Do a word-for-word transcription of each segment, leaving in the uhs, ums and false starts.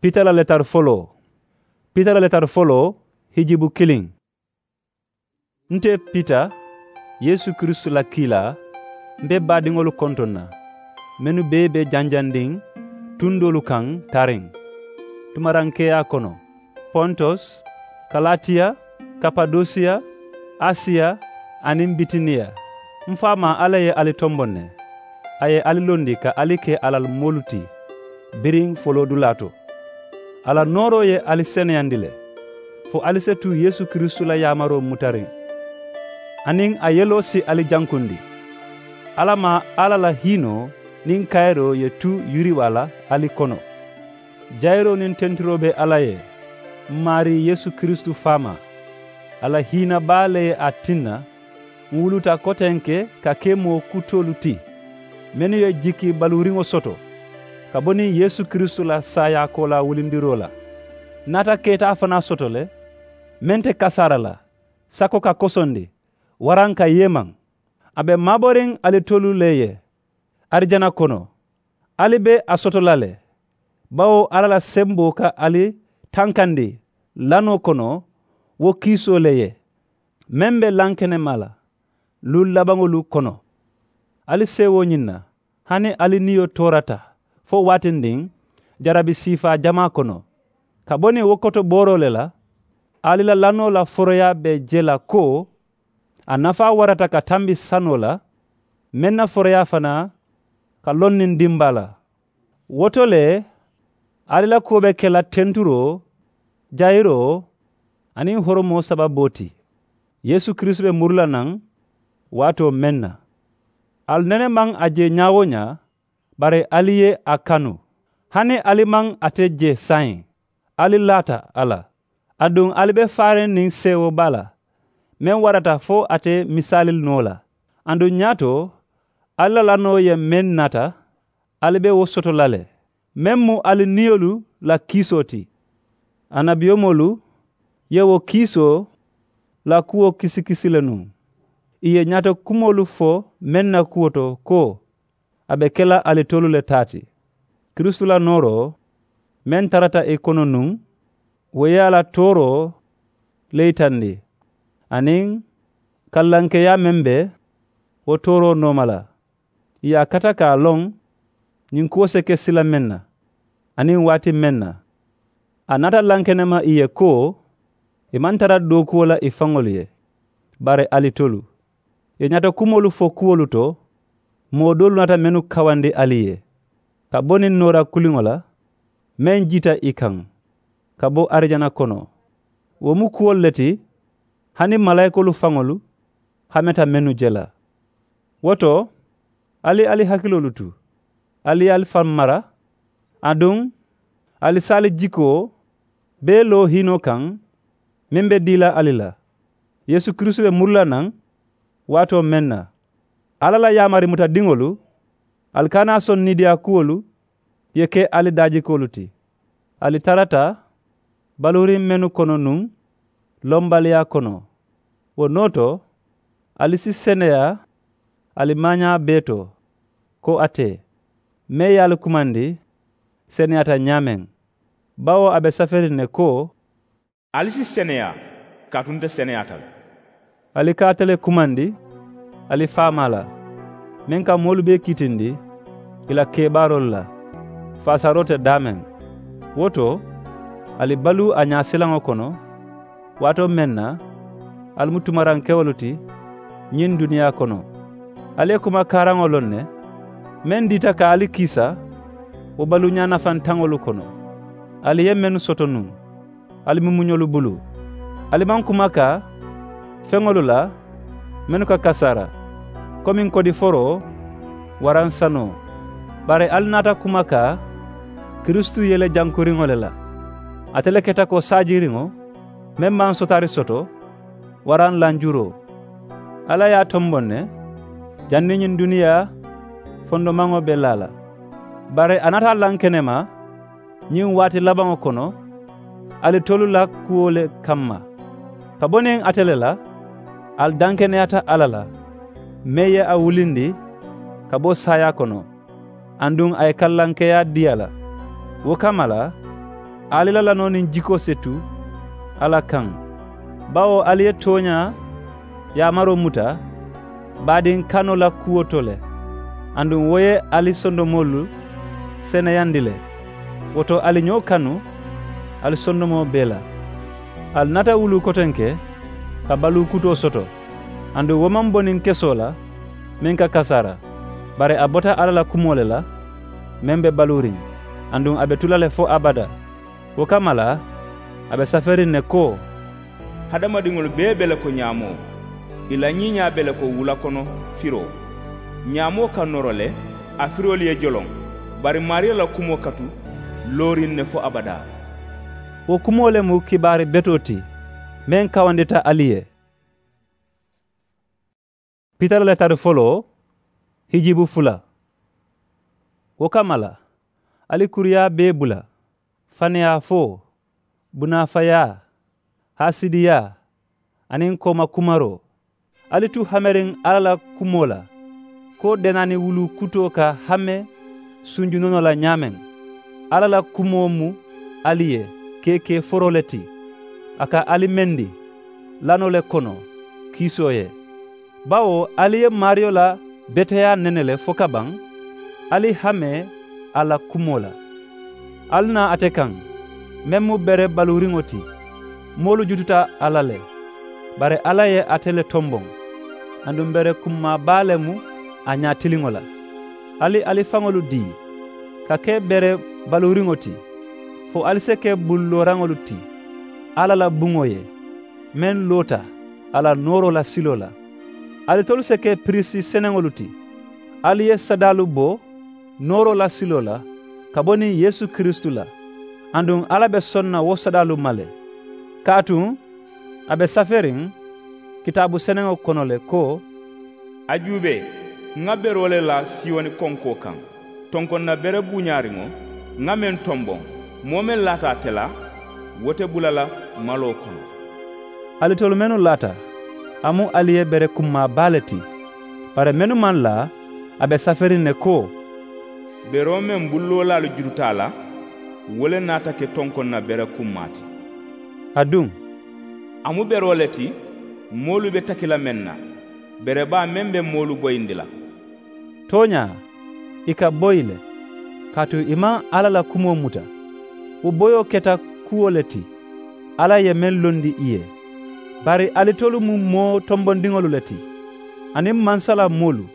Pita la letari foloo. Pita la letari foloo, hijibu kiliŋ. Nte pita, yeesu kiristu la kiilaa, m̀ be baadiŋolu kontoŋ na, mennu bee be janjandiŋ tundoolu kaŋ taariŋ tumarankeeyaa kono, pontos, kalatiya, kapadosiya, asiya, aniŋ bitiniya. M̀ faamaa alla ye ali tomboŋ ne. A ye ali londi ka ali ke a la moolu ti biriŋ foloodulaa to. A la nooroo ye ali seneyandi le, fo ali si tuu yeesu kiristu la yaamaroo mutariŋ, aniŋ a yeloo si ali jankundi. Alla maa alla la hiinoo niŋ kayiroo ye tuu yiriwaa la ali kono. Jayiroo niŋ tenturoo be alla ye, m̀ maarii yeesu kiristu faamaa. A la hiina baa le ye a tinna m̀ wuluta kotenke ka ke moo kutoolu ti, mennu ye jikki baluuriŋo soto ka bo niŋ yeesu kiristu la saayaakoolaa wulindiroo la. Ǹ naata keetaa fanaa soto le, meŋ te kasaara la, sako ka kosondi, waraŋ ka yeemaŋ. A be maaboriŋ ali tolu le ye arijana kono. Ali be a soto la le, bawo alla la semboo ka ali tankandi lanoo kono, wo kiisoo le ye, meŋ be lankenema la luŋ labaŋolu kono. Ali seewoo ñiŋ na, hani ali niyo toorata fo waatindiŋ jarabi siifaa jamaa kono, ka bo niŋ wo kotobooroo le la, ali la lanoo la foroyaa be je la ko a nafaa warata ka tambi sanoo la, meŋ na foroyaa fanaa ka loŋ niŋ dimbaa la. Wo to le, ali la kuwo be ke la tenturoo, jayiroo, aniŋ horomoo sababoo ti. Yeesu kiristu be muru la naŋ waatoo meŋ na, ali nene maŋ a je ñaa-wo-ñaa, bari ali ye a kanu. Hani ali maŋ ate je saayiŋ, ali laata a la. Aduŋ ali be faariŋ niŋ seewoo baa la, meŋ warata fo ate misaali noo la. Aduŋ ñaato ali la lanoo ye meŋ nata, ali be wo soto la le, meŋ mu ali niyolu la kiisoo ti. Annabiyomoolu ye wo kiisoo la kuwo kisikisi le nuŋ. Ì ye ñaato kumoolu fo meŋ na kuwo to ko, a be ke la ali tolu le taa ti. Kiristu la nooroo meŋ tarata ì kono nuŋ, wo ye a la tooroo le yitandi, aniŋ kallankeeyaa meŋ be wo tooroo nooma la. Ì ye a kata ka a loŋ ñiŋ kuwo si ke sila meŋ na, aniŋ waati meŋ na. A naata lankenema ì ye ko ì maŋ tara dookuwo la ì faŋolu ye, bari ali tolu. Ì ye ñaato kumoolu fo kuwolu to, moo doolu naata mennu kawandi ali ye, ka bo niŋ noora kuliŋo la, meŋ jiita ì kaŋ ka bo arijana kono. Wo mu kuwolu le ti hani malaayikoolu faŋolu hameta mennu je la. Wo to, ali ali hakiloolu tu, ali ye ali faŋ mara, aduŋ ali si ali jikoo bee loo hiinoo kaŋ meŋ be dii la ali la. Yeesu kiristu be muru la naŋ waatoo meŋ na, alla la yaamari mutadiŋolu, ali kana a soŋ niidiyaa kuwolu ye ke ali daajikoolu ti. Ali tarata baluuriŋ mennu kono nuŋ, lombaliyaa kono. Wo noo to, ali si seneyaa ali maañaa bee to, ko ate meŋ ye ali kumandi seneyaata ñaameŋ, bawo a be saferiŋ ne ko, ali si seneyaa kaatu nte seneyaata le. Ali ka ate le kumandi ali faamaa la, meŋ ka moolu bee kiitindi ì la kebaaroolu la, faasaaroo te daameŋ. Wo to, ali baluu a ñaasilaŋo kono, waatoo meŋ na ali mu tumarankewolu ti ñiŋ duniyaa kono. Ali ye kuma kaaraŋo loŋ ne, meŋ diita ka ali kiisa wo baluuñaa nafantaŋolu kono, ali ye mennu soto nuŋ ali mumuñolu bulu. Ali maŋ kumakaa feŋolu la mennu ka kasaara, komiŋ kodiforoo waraŋ sanoo. Bari ali naata kumakaa kiristu yele jankuriŋo le la. Ate le keta ko saajiriŋo meŋ maŋ sotaari soto waraŋ lanjuroo. Alla ye a tomboŋ ne, janniŋ ñiŋ duniyaa fondomaŋo be laa la. Bari a naata lankenema ñiŋ waati labaŋo kono ali tolu la kuwo le kamma. Ka bo niŋ ate le la, ali dankeneyaata alla la, meŋ ye a wulindi ka bo saayaa kono, aduŋ a ye kallankeeyaa dii a la. Wo kamma la, Ali la lanoo niŋ jikoo si tu alla kaŋ, bawo ali ye tooñaa yaamaroo muta baadiŋ kanoo la kuwo to le. Aduŋ wo ye ali sondomoolu seneyandi le. Wo to ali ñoo kanu ali sondomoo bee la. Ali naata wuluu kotenke ka baluu kutoo soto. Aduŋ wo maŋ bo niŋ kesoo la meŋ ka kasaara, bari a bota alla la kumoo le la meŋ be baluuriŋ, aduŋ a be tu la le fo abadaa. Wo kamma la a be saferiŋ ne ko, hadamadiŋolu bee be le ko ñaamoo, ì la ñiiñaa be le ko wula kono firoo. Ñaamoo ka noro le, a firoolu ye joloŋ, bari maariyo la kumoo ka tu looriŋ ne fo abadaa. Wo kumoo le mu kibaari betoo ti meŋ kawandita ali ye. Pita la letari foloo hijibu fula. Wo kamma la ali kuruyaa bee bula, faneyaa foo, bunaafayaa, haasidiyaa, aniŋ koomakumaroo. Ali tu hameriŋ alla la kumoo la, ko denaani wuluu kutoo ka hame sunju noonoo la ñaameŋ. Alla la kumoo mu ali ye keekee foroo le ti. A ka ali mendi lanoo le kono kiisoo ye. Bawo ali ye maariyo la beteyaa nene le fo kabaŋ, ali hame a la kumoo la. Ali naa ate kaŋ meŋ mu bere baluuriŋo ti. Moolu jututa a la le, bari alla ye ate le tomboŋ. Aduŋ bere kummaa baa le mu a ñaatiliŋo la. Ali ali faŋolu dii ka ke bere baluuriŋo ti, fo ali si ke bulu looraŋolu ti alla la buŋo ye, meŋ loota a la nooroo la siloo la. Alitolu si ke piriisi seneŋolu ti. Ali ye sadaalu bo nooroo la siloo la ka bo niŋ yeesu kiristu la. Aduŋ alla be soŋ na wo sadaalu ma le. Kaatu a be saferiŋ kitaabu seneŋo kono le ko, a juubee, ŋa beroo le la siyoni konkoo kaŋ, tonkonna bere buuñaariŋo ŋa meŋ tomboŋ, moo meŋ laata ate la wo te bula la maloo kono. Alitolu mennu laata, a mu ali ye bere kummaa baa le ti. Bari mennu maŋ laa, a be saferiŋ ne ko, beroo meŋ bulloolaalu juruta a la, wo le naata ke tonkonna bere kummaa ti. Aduŋ a mu beroo le ti moolu be taki la meŋ na, bere baa meŋ be moolu boyindi la. Tooñaa, ì ka boyi le, kaatu ì maŋ alla la kumoo muta. Wo boyoo keta kuwo le ti alla ye meŋ londi ì ye. Bari alitolu mu moo tombondiŋolu le ti, aniŋ mansa la moolu,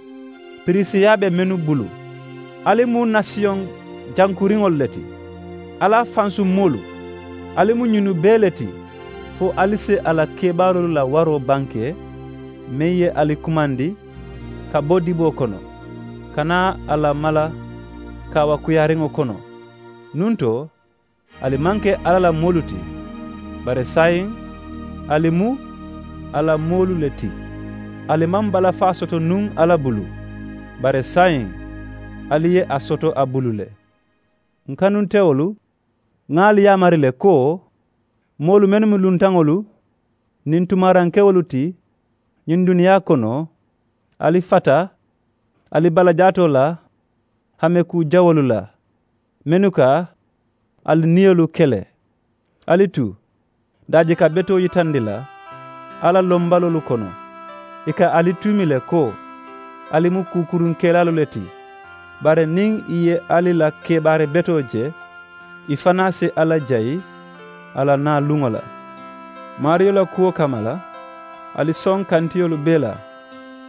piriisiyaa be mennu bulu. Ali mu nasiyoŋ jankuriŋolu le ti, alla fansu moolu. Ali mu ñinnu bee le ti, fo ali si a la kebaarolu la waroo banke meŋ ye ali kumandi ka bo diboo kono, ka naa a la mala kaawakuyaariŋo kono. Nuŋ to, ali maŋ ke alla la moolu ti, bari saayiŋ ali mu a la moolu le ti. Ali maŋ balafaa soto nuŋ alla bulu, bari saayiŋ ali ye a soto a bulu le. N kanuntewolu, ŋa ali yaamari le ko, moolu mennu mu luntaŋolu niŋ tumarankewolu ti ñiŋ duniyaa kono, ali fata ali balajaatoo la hame kuu jawoolu la, mennu ka ali niyolu kele. Ali tu daaji ka betoo yitandi la alla lombaloolu kono. Ì ka ali tuumi le ko, ali mu kuukurunkelaalu le ti. Bari niŋ ì ye ali la kebaari betoo je, ì fanaa si alla jayi a la naa luŋo la. Maariyo la kuwo kamma la, ali soŋ kantiyolu bee la,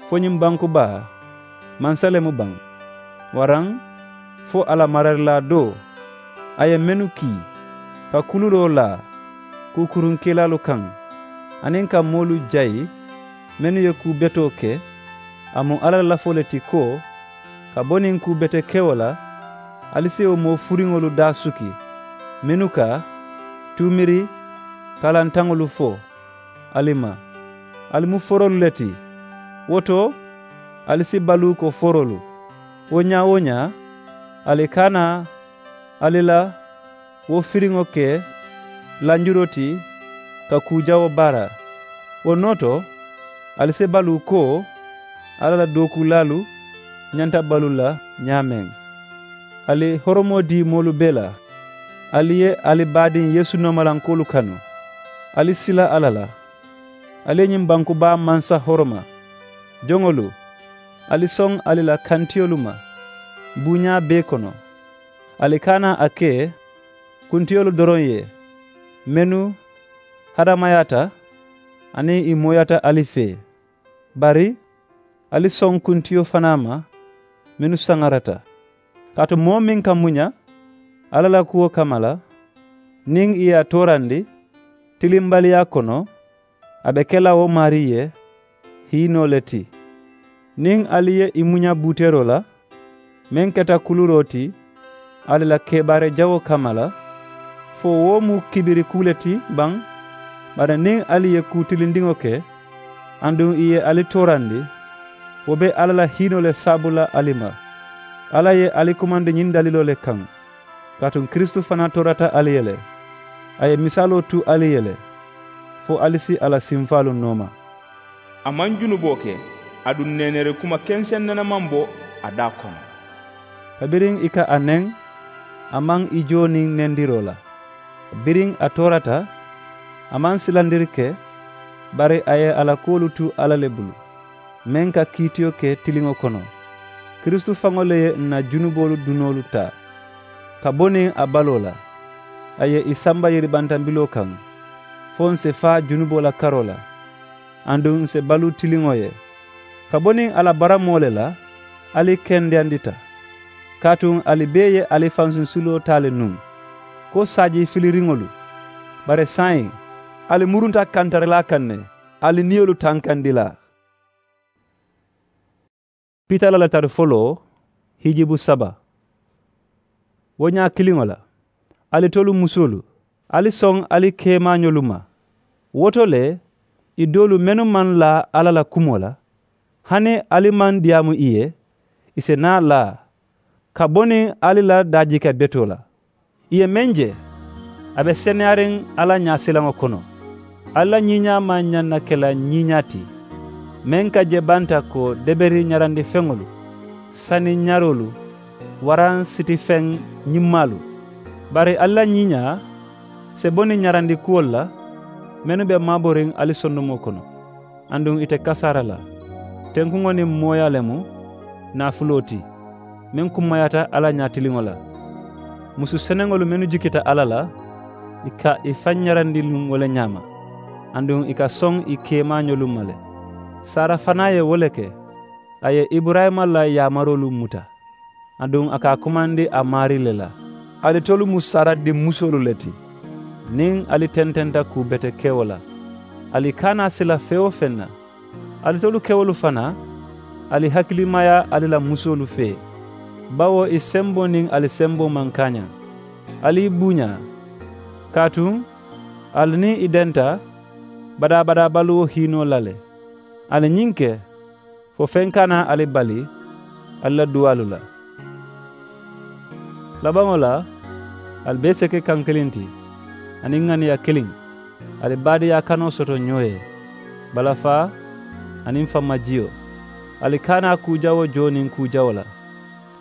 fo ñiŋ banku baa mansa le mu baŋ. Waraŋ fo a la mararilaa doo, a ye mennu kii ka kululoo laa kuukurunkelaalu kaŋ, aniŋ ka moolu jayi mennu ye kuu betoo ke. A mu alla la lafoo le ti ko, ka bo niŋ kuu betekewo la, ali si wo moo furiŋolu daa suki, mennu ka tuumiri kalantaŋolu fo ali ma. Ali mu foroolu le ti. Wo to, ali si baluu ko foroolu. Wo ñaa-wo-ñaa, ali kana ali la wo firiŋo ke lanjuroo ti ka kuu jawoo baara. Wo noo to, ali si baluu ko alla la dookuulaalu ñanta baluu la ñaameŋ. Ali horomoo dii moolu bee la. Ali ye ali baadiŋ yeesu noomalankoolu kanu. Ali sila alla la. Ali ye ñiŋ banku baa mansa horoma. Joŋolu, ali soŋ ali la kantiyolu ma buuñaa bee kono. Ali kana a ke kuntiyolu doroŋ ye mennu hadamayaata aniŋ ì mooyaata ali fee. Bari ali soŋ kuntiyo fanaa ma mennu saŋarata. Kaatu moo meŋ ka muña alla la kuwo kamma la, niŋ ì ye a toorandi tilimbaliyaa kono, a be ke la wo maarii ye hiinoo le ti. Niŋ ali ye ì muña buuteeroo la meŋ keta kuluuroo ti ali la kebaara jawoo kamma la, fo wo mu kibiri kuu le ti baŋ? Bari niŋ ali ye kuu tilindiŋo ke aduŋ ì ye ali toorandi, wo be alla la hiinoo le sabbu la ali ma. Alla ye ali kumandi ñiŋ daliloo le kaŋ. Kaatu kiristu fanaa toorata ali ye le, a ye misaaloo tu ali ye le, fo ali si a la sinfaalu nooma. A maŋ junuboo ke, aduŋ neeneeri kuma kenseŋ nene maŋ bo a daa kono. Kabiriŋ ì ka a neŋ, a maŋ ì joo niŋ nendiroo la. Biriŋ a toorata, a maŋ silandiri ke, bari a ye a la kuwolu tu alla le bulu, meŋ ka kiitiyo ke tiliŋo kono. Kiristu faŋo le ye ǹ na junuboolu dunoolu taa ka bo niŋ a baloo la. A ye ì samba yeribantambiloo kaŋ, fo ǹ si faa junuboo la karoo la, aduŋ ǹ si baluu tiliŋo ye. Ka bo niŋ a la baramoo le la, ali kendeyandita. Kaatu ali bee ye ali fansuŋ siloo taa le nuŋ ko saaji filiriŋolu. Bari saayiŋ ali murunta kantarilaa kaŋ ne, ali niyolu tankandilaa. Pita la latari foloo, hijibu saba. Wo ñaa kiliŋo la, alitolu musoolu, ali soŋ ali keemaañolu ma. Wo to le, i doolu mennu maŋ laa alla la kumoo la, hani ali maŋ diyaamu ì ye, ì si naa laa ka bo niŋ ali la daajiika betoo la. Ì ye meŋ je, a be seneyariŋ alla ñaasilaŋo kono. Alla ñiiñaa maŋ ñaŋ na ke la ñiiñaa ti meŋ ka je banta ko deberi ñarandi feŋolu, sani ñaroolu, waraŋ siti feŋ ñimmaalu. Bari alla ñiiñaa si bo niŋ ñarandi kuwolu la mennu be maaboriŋ ali sondomoo kono. Aduŋ ite kasaara la. Tenkuŋo niŋ mooyaa le mu naafuloo ti meŋ kummayaata alla ñaatiliŋo la. Musu seneŋolu mennu jikita alla la, ì ka ì faŋ ñarandi nuŋ wo le ñaama, aduŋ ì ka soŋ ì keemaañolu ma le. Saara fanaa ye wo le ke. A ye iburayima la yaamaroolu muta, aduŋ a ka a kumandi a maarii le la. Alitolu mu saara dimmusoolu le ti niŋ ali tententa kuu bete kewo la. Ali kana sila feŋ-wo-feŋ na. Alitolu kewolu fanaa, ali hakilimaya ali la musoolu fee, bawo ì semboo niŋ ali semboo maŋ kaañaŋ. Ali ì buuñaa. Kaatu ali niŋ ì denta badaa-badaa baluwo hiinoo la le. Ali ñiŋ ke, fo feŋ kana ali bali ali la duwaalu la. Labaŋo la, ali bee si ke kaŋ kiliŋ ti, aniŋ ŋaniya kiliŋ. Ali baadiyaa kanoo soto ñoo ye, balafaa aniŋ fammajiyo. Ali kana kuu jawoo joo niŋ kuu jawoo la,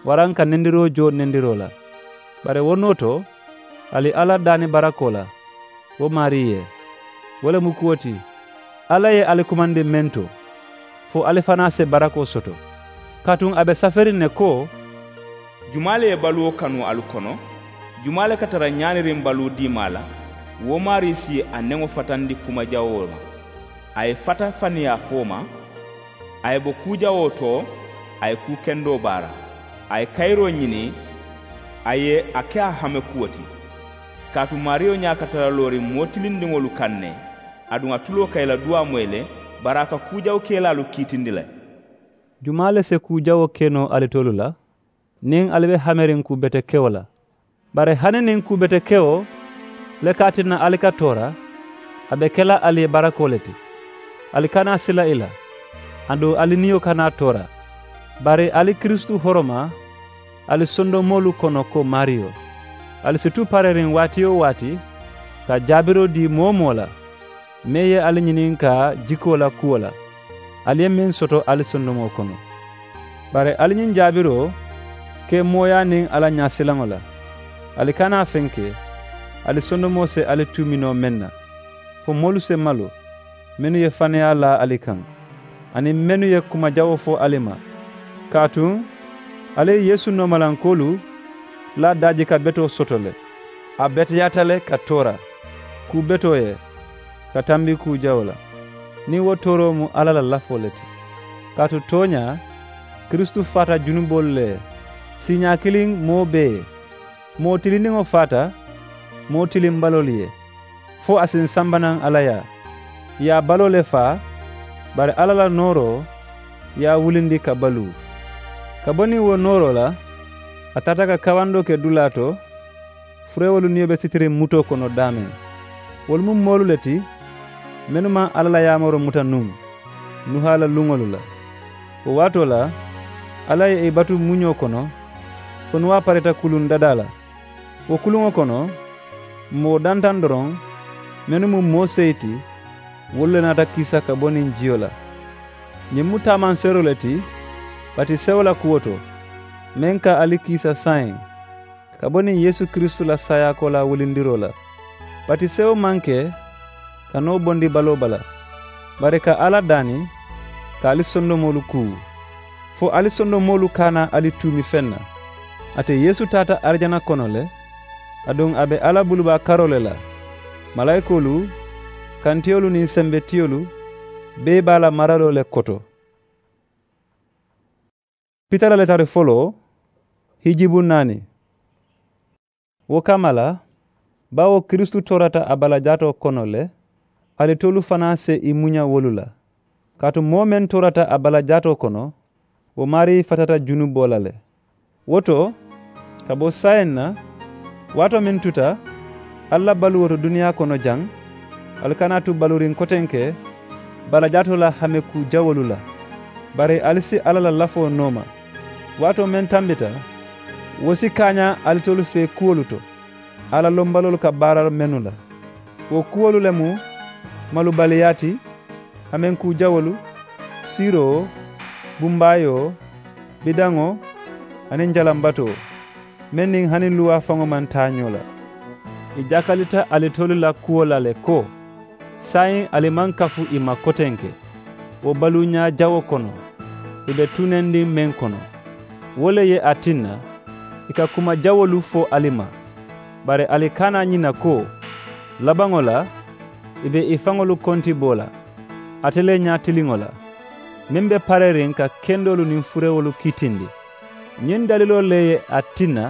waraŋ ka nendiroo joo nendiroo la. Bari wo noo to, ali alla daani barakoo la wo maarii ye. Wo le mu kuwo ti, alla ye ali kumandi meŋ to, fo ali fanaa si barakoo soto. Kaatu a be saferiŋ ne ko, jumaa le ye baluwo kanu alu kono? Jumaa le ka tara ñaaniriŋ baluu diimaa la? Wo maarii si a neŋo fatandi kuma jawoo ma. A ye fata faniyaa fo ma. A ye bo kuu jawoo to, a ye kuu kendoo baara. A ye kayiroo ñini, a ye a ke a hame kuwo ti. Kaatu maariyo ñaa ka tara looriŋ moo tilindiŋolu kaŋ ne, aduŋ a tuloo ka i la duwaa moyi le, bari a ka kuu jawukelaalu kiitindi le. Jumaa le si kuu jawoo ke noo alitolu la, niŋ ali be hameriŋ kuu betekewo la? Bari hani niŋ kuu betekewo le ka a tinna ali ka toora, a be ke la ali ye barakoo le ti. Ali kana sila i la, aduŋ ali niyo kana toora. Bari ali kiristu horoma ali sondomoolu kono ko maariyo. Ali si tu pareriŋ waati-wo-waati ka jaabiroo dii moo-wo-moo la meŋ ye ali ñininkaa jikoo la kuwo la, ali ye meŋ soto ali sondomoo kono. Bari ali ñiŋ jaabiroo ke mooyaa niŋ alla ñaasilaŋo la. Ali kana a fenke, Ali sondomoo si ali tuumi noo meŋ na, fo moolu si malu mennu ye faneyaa laa ali kaŋ, aniŋ mennu ye kuma jawoo fo ali ma. Kaatu ali ye yeesu noomalankoolu la daajika betoo soto le. A beteyaata le ka toora kuu betoo ye, ka tambi kuu jawoo la, niŋ wo tooroo mu alla la lafoo le ti. Kaatu tooñaa, kiristu faata junuboolu le ye, siiñaa kiliŋ moo bee ye. Moo tilindiŋo faata moo tilimbaloolu ye, fo a si n samba naŋ alla yaa. Ì ye a baloo le faa, bari alla la nooroo ye a wulindi ka baluu. Ka bo niŋ wo nooroo la, a taata ka kawandoo ke dulaa to, fureewolu niyo be sitiriŋ mutoo kono daameŋ. Wolu mu moolu le ti mennu maŋ alla la yaamaroo muta nuŋ nuhaa la luŋolu la. Wo waatoo la alla ye ì batu muñoo kono, fo nuwaa pareta kuluŋ dadaa la. Wo kuluŋo kono, moo dantaŋ doroŋ mennu mu moo seyi ti, wolu le naata kiisa ka bo niŋ jiyo la. Ñiŋ mu taamanseeroo le ti batisewo la kuwo to, meŋ ka ali kiisa saayiŋ ka bo niŋ yeesu kiristu la saayaakoolaa wulindiroo la. Batisewo maŋ ke ka noo bondi baloo bala, bari ka alla daani ka ali sondomoolu kuu, fo ali sondomoolu kana ali tuumi feŋ na. Ate yeesu taata arijana kono le, aduŋ a be alla bulubaa karoo le la. Malaayikoolu, kantiyolu niŋ sembetiyolu bee be a la maraloo le koto. Pita la letari foloo, hijibu naani. Wo kamma la, bawo kiristu toorata a balajaatoo kono le, alitolu fanaa si i muña wolu la. Kaatu moo meŋ toorata a balajaatoo kono, wo maarii fatata junuboo la le. Wo to, ka bo saayiŋ na, waatoo meŋ tuta ali la baluwo to duniyaa kono jaŋ, ali kana tu baluuriŋ kotenke balajaatoo la hamekuu jawoolu la, bari ali si alla la lafoo nooma. Waatoo meŋ tambita, wo si kaañaa alitolu fee kuwolu to, alla lombaloolu ka baara mennu la. Wo kuwolu le mu malubaliyaa ti, hamenkuu jawoolu, siiroo, bumbaayoo, bidaŋo, aniŋ jalambatoo, meŋ niŋ hani luwaa faŋo maŋ taa ñoo la. Ì jakalita alitolu la kuwo la le ko, saayiŋ ali maŋ kafu ì ma kotenke wo baluuñaa jawo kono, ì be tunendiŋ meŋ kono. Wo le ye a tinna ì ka kuma jawoolu fo ali ma. Bari ali kana ñina ko, labaŋo la ì be ì faŋolu kontiboo la, ate le ñaatiliŋo la, meŋ be pareeriŋ ka kendoolu niŋ furewolu kitindi. Ñiŋ daliloo le ye a tinna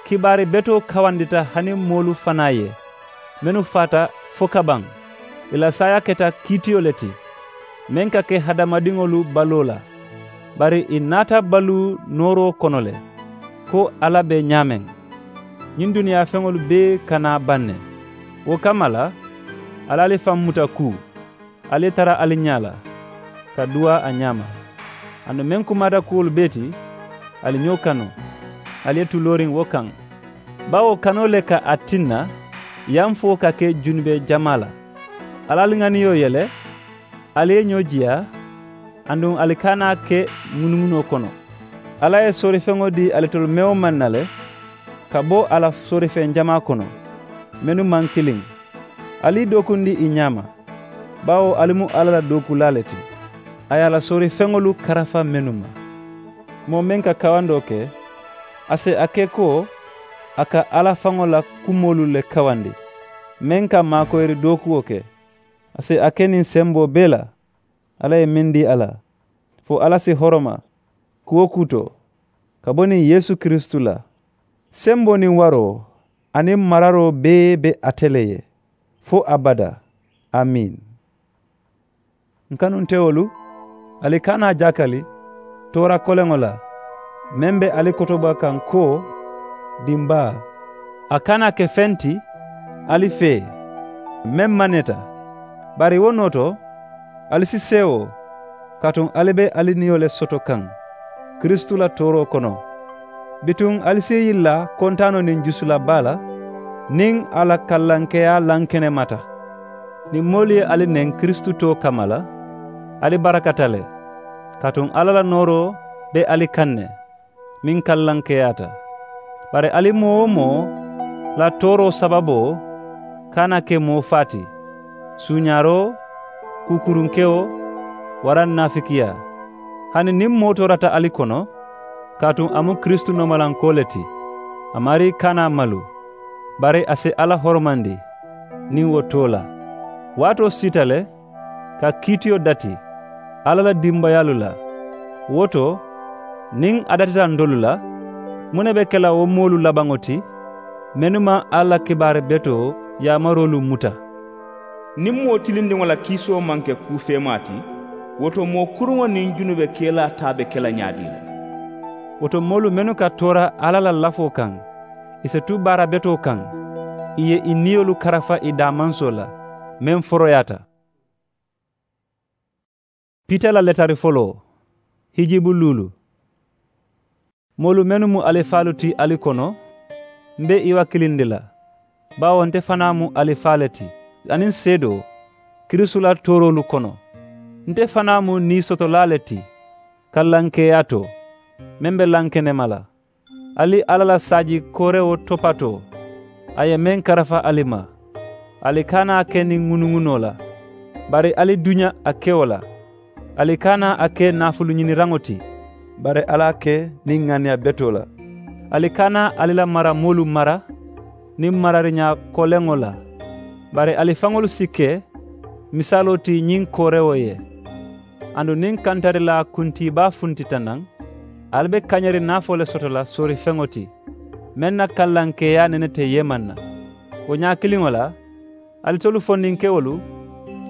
kibaari betoo kawandita hani moolu fanaa ye, mennu faata fo kabaŋ. Ì la saayaa keta kiitiyo le ti, meŋ ka ke hadamadiŋolu baloo la, bari ì naata baluu nooroo kono le, ko alla be ñaameŋ, ñiŋ duniyaa feŋolu bee ka naa baŋ ne. Wo kamma la, ali ali faŋ muta kuu, ali ye tara ali ñaa la, ka duwaa a ñaama. Aduŋ meŋ kumaata kuwolu bee ti, ali ñoo kanu, ali ye tu looriŋ wo kaŋ. Bawo kanoo le ka a tinna yamfoo ka ke junube jamaa la. Ali ali ŋaniyo yele, ali ye ñoo jiyaa, aduŋ ali kana ke ŋunuŋunoo kono. Alla ye soorifeŋo dii alitolu mewo maŋ na le, ka bo a la soorifeŋ jamaa kono, mennu maŋ kiliŋ. Ali i dookundi i ñaama, bawo ali mu alla la dookulaa le ti. A ye a la soorifeŋolu karafa mennu ma. Moo meŋ ka kawandoo ke, a si a ke ko a ka alla faŋo la kumoolu le kawandi, meŋ ka maakoyiri dookuwo ke. A si a ke niŋ semboo bee la alla ye meŋ dii a la, fo alla si horoma kuwo kuu to, ka bo niŋ yeesu kiristu la. Semboo niŋ waroo aniŋ mararoo bee be ate le ye, fo abadaa. Amiin. N kanuntewolu, ali kana jakali toora koleŋo la, meŋ be ali kotoba kaŋ ko, dimbaa, a kana ke feŋ ti ali fee, meŋ maneta. Bari wo noo to, ali si seewoo, kaatu ali be ali niyo le soto kaŋ kiristu la tooroo kono. Bituŋ ali si i yilla kontaanoo niŋ jusula baa la, niŋ a la kallankeyaa lankenemata. Niŋ moolu ye ali neŋ kiristu too kamma la, ali barakata le, kaatu alla la nooroo be ali kaŋ ne, meŋ kallankeyaata. Bari ali moo-wo-moo la tooroo sababoo kana ke moo faa ti, suuñaaroo, kuukurunkewo, waraŋ naafikiyaa. Hani niŋ moo toorata ali kono, kaatu a mu kiristu noomalankoo le ti, a maarii kana malu, bari a si alla horomandi niŋ wo too la. Waatoo siita le ka kiitiyo dati alla la dimbayaalu la. Wo to, niŋ a datita ntolu la, muŋ ne be ke la wo moolu labaŋo ti mennu maŋ alla la kibaari betoo yaamaroolu muta? Niŋ moo tilindiŋo la kiisoo maŋ ke kuu feemaa ti, wo to moo kuruŋo niŋ junube kelaa taa be ke la ñaadii le? Wo to moolu mennu ka toora alla la lafoo kaŋ, i si tu baara betoo kaŋ, i ye i niyolu karafa i daamansoo la meŋ foroyaata. Piita la letari foloo. Hijibu luulu. Moolu mennu mu alifaalu ti ali kono, m̀ be i wakilindi la, baawo nte fanaa mu alifaa le ti aniŋ seedoo kiristu la tooroolu kono. Nte fanaa mu nii sotolaa le ti kallankeeyaa to, meŋ be lankenema la. Ali alla la saaji koorewo topatoo, a ye meŋ karafa ali ma. Ali kana a ke niŋ ŋunuŋunoo la, bari ali duña a kewo la. Ali kana a ke naafuluñiniraŋo ti, bari ali a ke niŋ ŋaniya betoo la. Ali kana ali la maramoolu mara niŋ marariñaa koleŋo la, bari ali faŋolu si ke misaaloo ti ñiŋ koorewo ye. Aduŋ niŋ kantarilaa kuntiibaa funtita naŋ, ali be kañeeri naafoo le soto la soorifeŋo ti, meŋ na kallankeeyaa nene te yeemaŋ na. Wo ñaa kiliŋo la, alitolu fondinkewolu,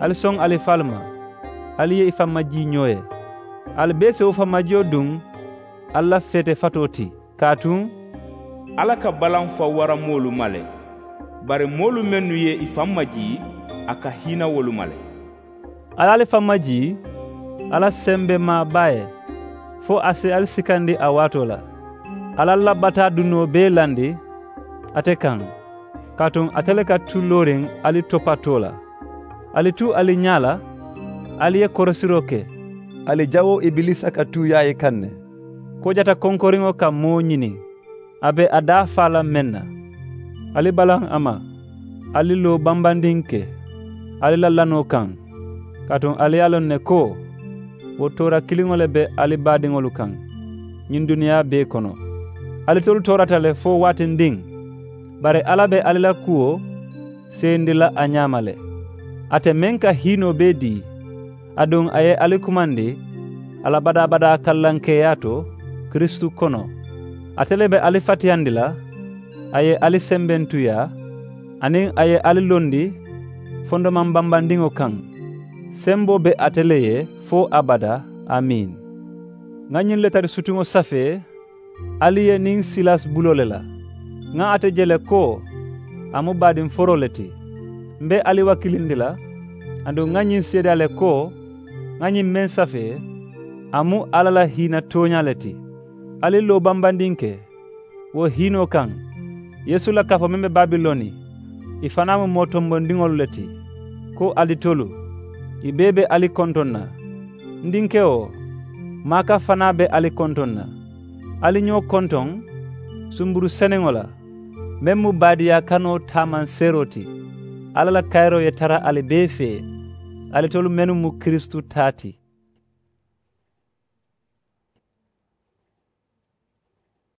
ali soŋ alifaalu ma, ali ye i faŋ majii ñoo ye. Ali bee si wo faŋ majiyo duŋ ali la feete fatoo ti, kaatu alla ka balaŋ faŋ wara moolu ma le. Bari moolu mennu ye i faŋ majii, a ka hiina wolu ma le. Alla ali faŋ majii alla sembemaa baa ye, fo a si ali sikandi a waatoo la. Alla la bataa dunoo bee landi ate kaŋ, kaatu ate le ka tu looriŋ ali topatoo la. Ali tu ali ñaa la, ali ye korosiroo ke. Ali jawoo ibiliisa ka tuuyaa i kaŋ ne. Kojata konkoriŋo ka moo ñini, a be a daa faa la meŋ na. Ali balaŋ a ma, ali loo bambandiŋ ke ali la lanoo kaŋ, kaatu ali ye a loŋ ne ko wo toora kiliŋo le be ali baadiŋolu kaŋ ñiŋ duniyaa bee kono. Alitolu toorata le fo waatindiŋ, bari alla be ali la kuwo seyindi la a ñaama le. Ate meŋ ka hiinoo bee dii, aduŋ a ye ali kumandi a la badaa-badaa kallankeeyaa to kiristu kono. Ate le be ali fatiyandi la, a ye ali sembentuyaa, aniŋ a ye ali londi fondomaŋ bambandiŋo kaŋ. Semboo be ate le ye fo abadaa. Amiin. Ŋa ñiŋ letari sutuŋo safee ali ye niŋ silas buloo le la. Ŋa ate je le ko a mu baadiŋ foroo le ti. M̀ be ali wakilindi la, aduŋ ŋa ñiŋ seedeyaa le ko ŋa ñiŋ meŋ safee, a mu alla la hiina tooñaa le ti. Ali loo bambandiŋ ke wo hiinoo kaŋ, yeesu la kafoo meŋ be babiloni, i fanaa mu moo tombondiŋolu le ti. Ko alitolu, i bee be ali kontoŋ na. N dinkewo, maaka fanaa be ali kontoŋ na. Ali ñoo kontoŋ sumburu seneŋo la, meŋ mu baadiyaa kanoo taamanseeroo ti. Alla la kayiroo ye tara ali bee fee, alitolu mennu mu kiristu taa ti.